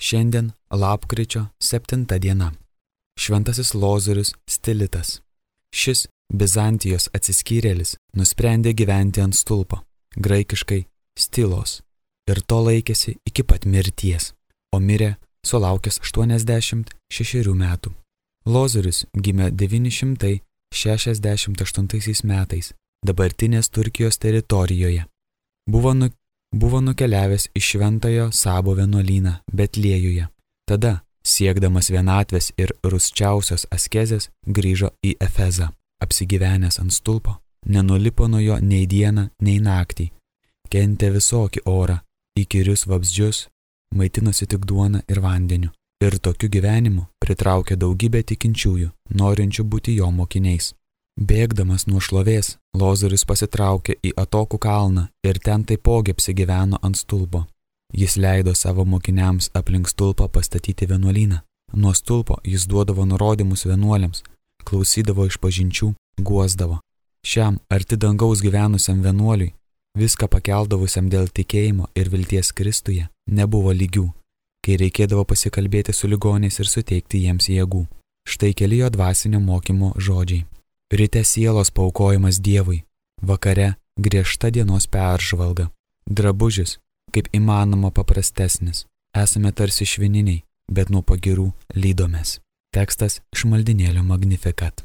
Šiandien lapkričio 7 diena. Šventasis Lozorius Stilitas. Šis Bizantijos atsiskyrėlis nusprendė gyventi ant stulpo, graikiškai stilos, ir to laikėsi iki pat mirties, o mirė sulaukęs 86 metų. Lozorius gimė 968 metais dabartinės Turkijos teritorijoje. Buvo nukeliavęs į Šventojo Sabo vienuolyną Betliejuje. Tada, siekdamas vienatvės ir rusčiausios askezės, grįžo į Efezą. Apsigyvenęs ant stulpo, nenulipo nuo jo nei dieną, nei naktį. Kentė visokį orą, įkyrius vabzdžius, maitinosi tik duona ir vandeniu. Ir tokiu gyvenimu pritraukė daugybę tikinčiųjų, norinčių būti jo mokiniais. Bėgdamas nuo šlovės, Lozorius pasitraukė į atokų kalną ir ten taipogi apsigyveno ant stulpo. Jis leido savo mokiniams aplink stulpą pastatyti vienuolyną. Nuo stulpo jis duodavo nurodymus vienuoliams, klausydavo išpažinčių, guosdavo. Šiam arti dangaus gyvenusiam vienuoliui, viską pakeldavusiam dėl tikėjimo ir vilties Kristuje, nebuvo lygių, kai reikėdavo pasikalbėti su ligoniais ir suteikti jiems jėgų. Štai keli jo dvasinio mokymo žodžiai. Ryte sielos paaukojimas Dievui, vakare griežta dienos peržvalga. Drabužis, kaip įmanoma paprastesnis. Esame tarsi švininiai, bet nuo pagirų lydomės. Tekstas iš maldinėlio Magnificat.